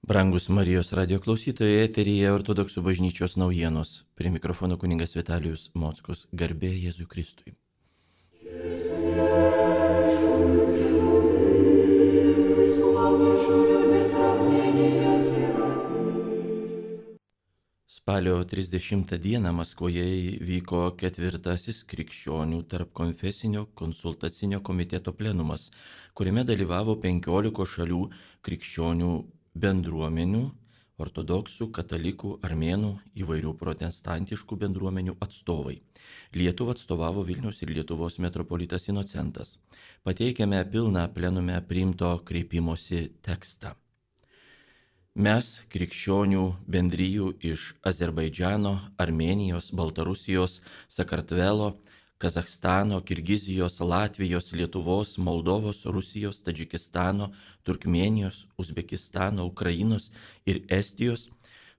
Brangus Marijos radio klausytojai, eteryje Ortodoksų bažnyčios naujienos. Prie mikrofono kunigas Vitalijus Mockus. Garbė Jėzui Kristui. Spalio 30 dieną Maskvoje vyko 4. krikščionių tarpkonfesinio konsultacinio komiteto plenumas, kuriame dalyvavo 15 šalių krikščionių bendruomenių, ortodoksų, katalikų, armėnų, įvairių protestantiškų bendruomenių atstovai. Lietuvą atstovavo Vilniaus ir Lietuvos metropolitas Inocentas. Pateikėme pilną plenume priimto kreipimosi tekstą. Mes, krikščionių bendrijų iš Azerbaidžano, Armėnijos, Baltarusijos, Sakartvelo, Kazachstano, Kirgizijos, Latvijos, Lietuvos, Moldovos, Rusijos, Tadžikistano, Turkmėnijos, Uzbekistano, Ukrainos ir Estijos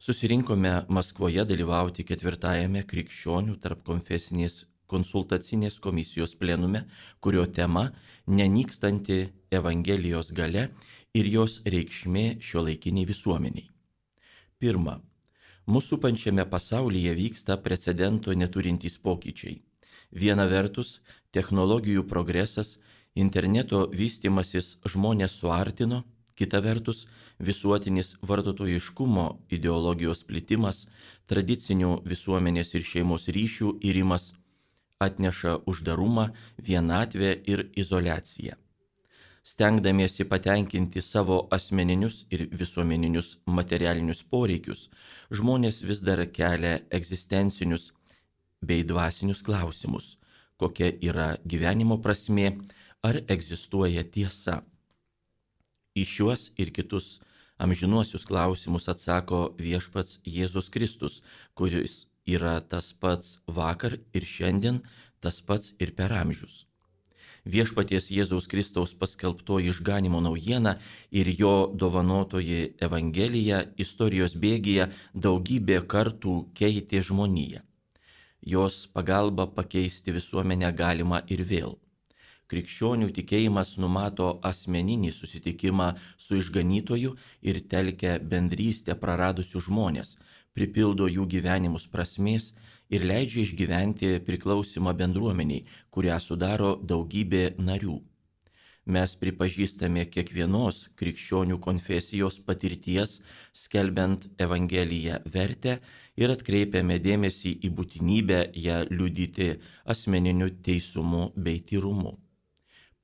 susirinkome Maskvoje dalyvauti 4. krikščionių tarpkonfesinės konsultacinės komisijos plenume, kurio tema nenykstanti Evangelijos galia ir jos reikšmė šiuolaikiniai visuomeniai. Pirma, mūsų pančiame pasaulyje vyksta precedento neturintys pokyčiai. Viena vertus, technologijų progresas, interneto vystimasis žmonės suartino, kita vertus, visuotinis vartotojiškumo ideologijos plitimas, tradicinių visuomenės ir šeimos ryšių irimas atneša uždarumą, vienatvę ir izoliaciją. Stengdamiesi patenkinti savo asmeninius ir visuomeninius materialinius poreikius, žmonės vis dar kelia egzistencinius bei dvasinius klausimus, kokia yra gyvenimo prasmė, ar egzistuoja tiesa. Į šiuos ir kitus amžinuosius klausimus atsako viešpats Jėzus Kristus, kuris yra tas pats vakar ir šiandien, tas pats ir per amžius. Viešpaties Jėzaus Kristaus paskelbtoji išganimo naujiena ir jo dovanotoji Evangelija istorijos bėgyje daugybė kartų keitė žmoniją. Jos pagalba pakeisti visuomenę galima ir vėl. Krikščionių tikėjimas numato asmeninį susitikimą su išganytoju ir telkia bendrystę praradusių žmonės, pripildo jų gyvenimus prasmės ir leidžia išgyventi priklausimą bendruomeniai, kurią sudaro daugybė narių. Mes pripažįstame kiekvienos krikščionių konfesijos patirties, skelbiant Evangeliją vertę ir atkreipiame dėmesį į būtinybę ją liudyti asmeniniu teisumu bei tyrumu.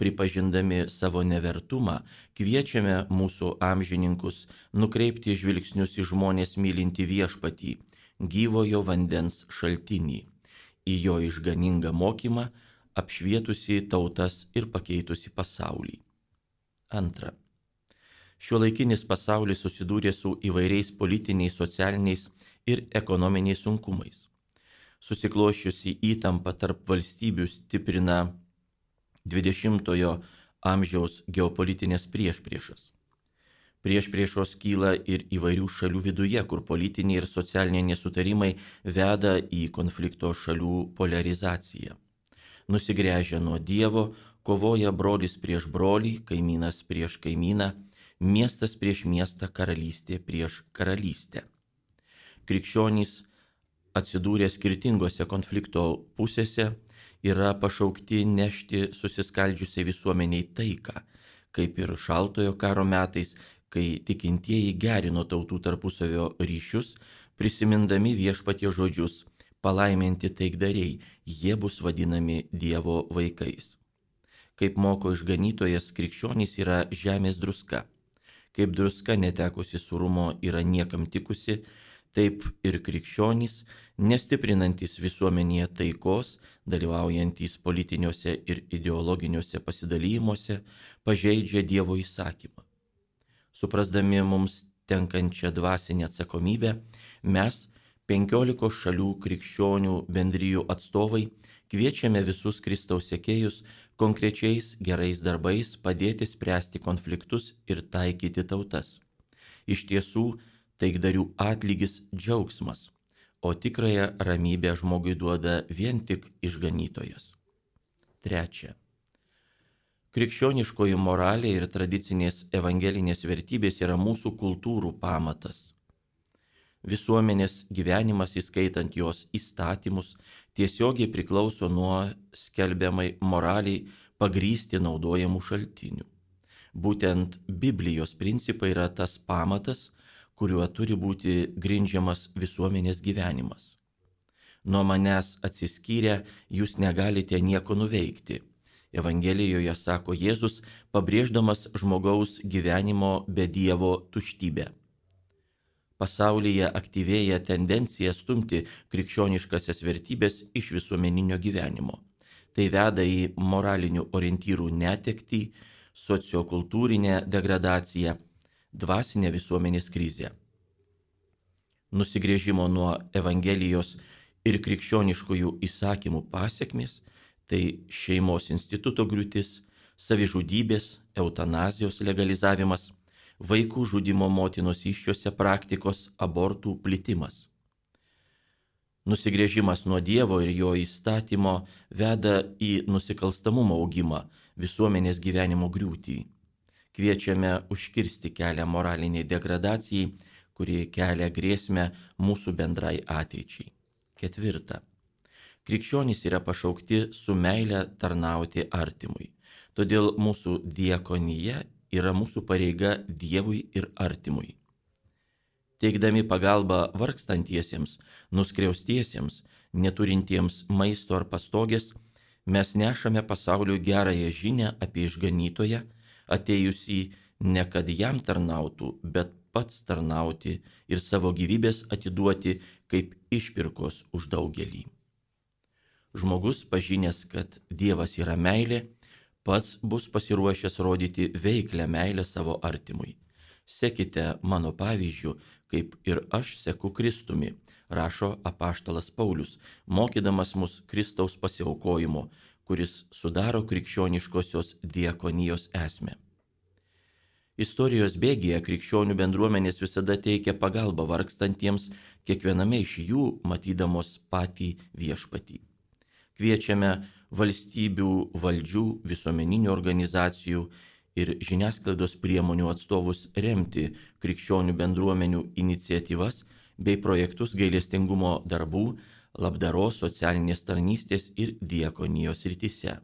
Pripažindami savo nevertumą, kviečiame mūsų amžininkus nukreipti žvilgsnius į žmonės mylintį viešpatį, gyvojo vandens šaltinį, į jo išganingą mokymą, apšvietusi tautas ir pakeitusi pasaulį. Antra. Šiuolaikinis pasaulis susidūrė su įvairiais politiniais, socialiniais ir ekonominiais sunkumais. Susikloščiusi įtampa tarp valstybių stiprina 20-ojo amžiaus geopolitinės priešpriešas. Priešpriešos kyla ir įvairių šalių viduje, kur politiniai ir socialiniai nesutarimai veda į konflikto šalių polarizaciją. Nusigręžę nuo Dievo, kovoja brolis prieš brolį, kaimynas prieš kaimyną, miestas prieš miestą, karalystė prieš karalystę. Krikščionys atsidūrę skirtingose konflikto pusėse yra pašaukti nešti susiskaldžiusiai visuomeniai taiką, kaip ir šaltojo karo metais, kai tikintieji gerino tautų tarpusavio ryšius, prisimindami viešpaties žodžius: palaiminti taikdariai, jie bus vadinami Dievo vaikais. Kaip moko išganytojas, krikščionys yra žemės druska. Kaip druska netekusi surumo yra niekam tikusi, taip ir krikščionys, nestiprinantis visuomenėje taikos, dalyvaujantys politiniuose ir ideologiniuose pasidalymuose, pažeidžia Dievo įsakymą. Suprasdami mums tenkančią dvasinę atsakomybę, mes, 15 šalių krikščionių bendrijų atstovai, kviečiame visus Kristaus sekėjus konkrečiais gerais darbais padėti spręsti konfliktus ir taikyti tautas. Iš tiesų, taikdarių atlygis džiaugsmas, o tikrąją ramybę žmogui duoda vien tik išganytojas. Trečia. Krikščioniškoji moralė ir tradicinės evangelinės vertybės yra mūsų kultūrų pamatas. Visuomenės gyvenimas, įskaitant jos įstatymus, tiesiogiai priklauso nuo skelbiamai moraliai pagrįsti naudojamų šaltinių. Būtent Biblijos principai yra tas pamatas, kuriuo turi būti grindžiamas visuomenės gyvenimas. Nuo manęs atsiskyrę jūs negalite nieko nuveikti. Evangelijoje sako Jėzus, pabrėždamas žmogaus gyvenimo be Dievo tuštybę. Pasaulyje aktyvėja tendencija stumti krikščioniškasias vertybės iš visuomeninio gyvenimo. Tai veda į moralinių orientyrų netektį, sociokultūrinę degradaciją, dvasinę visuomenės krizę. Nusigręžimo nuo Evangelijos ir krikščioniškųjų įsakymų pasekmės – tai šeimos instituto griūtis, savižudybės, eutanazijos legalizavimas, vaikų žudimo motinos įsčiose praktikos, abortų plitimas. Nusigręžimas nuo Dievo ir jo įstatymo veda į nusikalstamumo augimą, visuomenės gyvenimo griūtį. Kviečiame užkirsti kelią moraliniai degradacijai, kuri kelia grėsmę mūsų bendrai ateičiai. 4. Krikščionys yra pašaukti su meile tarnauti artimui. Todėl mūsų diakonija yra mūsų pareiga Dievui ir artimui. Teikdami pagalbą vargstantiesiems, nuskriaustiesiems, neturintiems maisto ar pastogės, mes nešame pasauliui gerąją žinią apie išganytoją, atėjusį ne kad jam tarnautų, bet pats tarnauti ir savo gyvybės atiduoti kaip išpirkos už daugelį. Žmogus, pažinęs, kad Dievas yra meilė, pats bus pasiruošęs rodyti veiklią meilę savo artimui. Sekite mano pavyzdžiu, kaip ir aš seku Kristumi, rašo apaštalas Paulius, mokydamas mus Kristaus pasiaukojimo, kuris sudaro krikščioniškosios diakonijos esmę. Istorijos bėgyje krikščionių bendruomenės visada teikia pagalbą vargstantiems, kiekviename iš jų matydamos patį viešpatį. Kviečiame valstybių, valdžių, visuomeninių organizacijų ir žiniasklaidos priemonių atstovus remti krikščionių bendruomenių iniciatyvas bei projektus gailestingumo darbų, labdaros, socialinės tarnystės ir diakonijos srityse.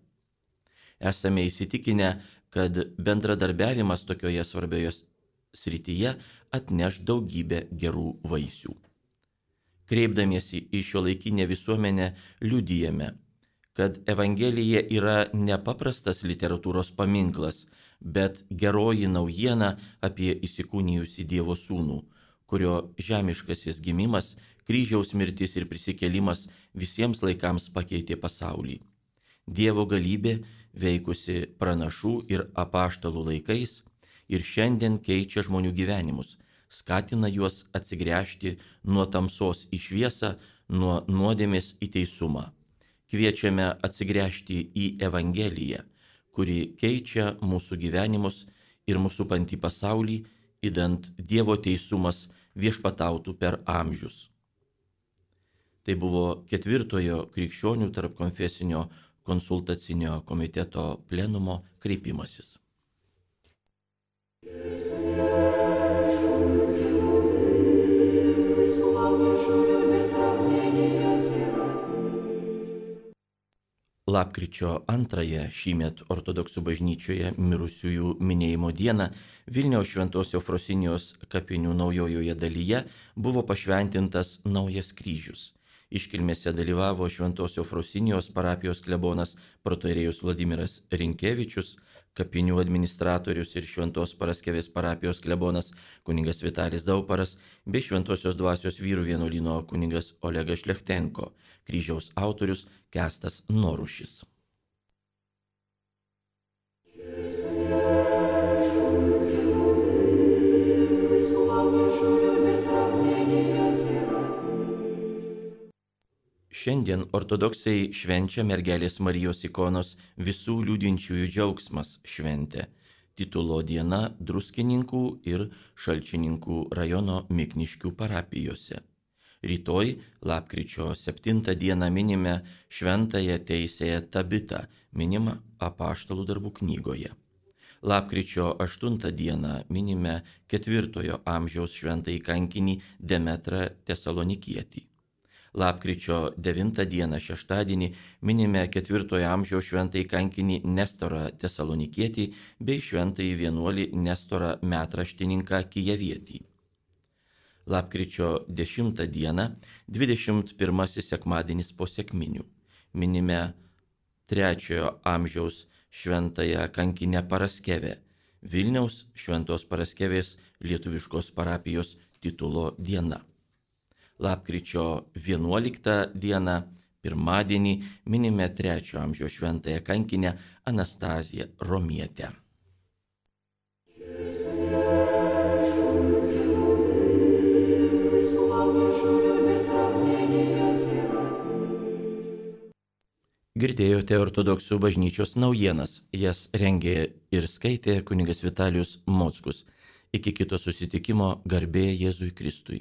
Esame įsitikinę, kad bendradarbiavimas tokioje svarbioje srityje atneš daugybę gerų vaisių. Kreipdamiesi į šiuolaikinę visuomenę liudijame, kad Evangelija yra nepaprastas literatūros paminklas, bet geroji naujiena apie įsikūnijusį Dievo sūnų, kurio žemiškasis gimimas, kryžiaus mirtis ir prisikėlimas visiems laikams pakeitė pasaulį. Dievo galybė, veikusi pranašų ir apaštalų laikais, ir šiandien keičia žmonių gyvenimus, skatina juos atsigręžti nuo tamsos į šviesą, nuo nuodėmės į teisumą. Kviečiame atsigręžti į Evangeliją, kuri keičia mūsų gyvenimus ir mūsų supantį pasaulį, idant Dievo teisumas viešpatautų per amžius. Tai buvo 4 krikščionių tarpkonfesinio konsultacinio komiteto plenumo kreipimasis. Lapkričio 2 šįmet ortodoksų bažnyčioje mirusiųjų minėjimo dieną Vilniaus Šventos Eufrosinijos kapinių naujojoje dalyje buvo pašventintas naujas kryžius. Iškilmėse dalyvavo Šventos Eufrosinijos parapijos klebonas protoierėjus Vladimiras Rinkevičius, kapinių administratorius ir Šventos Paraskevės parapijos klebonas kunigas Vitalis Dauparas bei Šventosios dvasios vyrų vienuolyno kunigas Olegas Šlechtenko, kryžiaus autorius Kęstas Norušis. Šiandien ortodoksai švenčia mergelės Marijos ikonos visų liūdinčiųjų džiaugsmas šventę, titulo diena Druskininkų ir Šalčininkų rajono Mikniškių parapijose. Rytoj, lapkričio 7 dieną minime šventąją teisėją Tabitą, minimą Apaštalų darbų knygoje. Lapkričio 8 dieną minime 4 amžiaus šventąjį kankinį Demetrą Tesalonikietį. Lapkričio 9 dieną šeštadienį minime 4 amžiaus šventąjį kankinį Nestorą Tesalonikietį bei šventąjį vienuolį Nestorą Metraštininką Kijevietį. Lapkričio 10 dieną 21 sekmadienis po sekminių minime 3 amžiaus šventąją kankinę Paraskevę, Vilniaus Šventos Paraskevės lietuviškos parapijos titulo diena. Lapkričio 11 dieną, pirmadienį, minime 3 amžiaus šventąją kankinę Anastaziją Romietę. Girdėjote ortodoksų bažnyčios naujienas, jas rengė ir skaitė kunigas Vitalijus Mockus. Iki kito susitikimo, garbė Jėzui Kristui.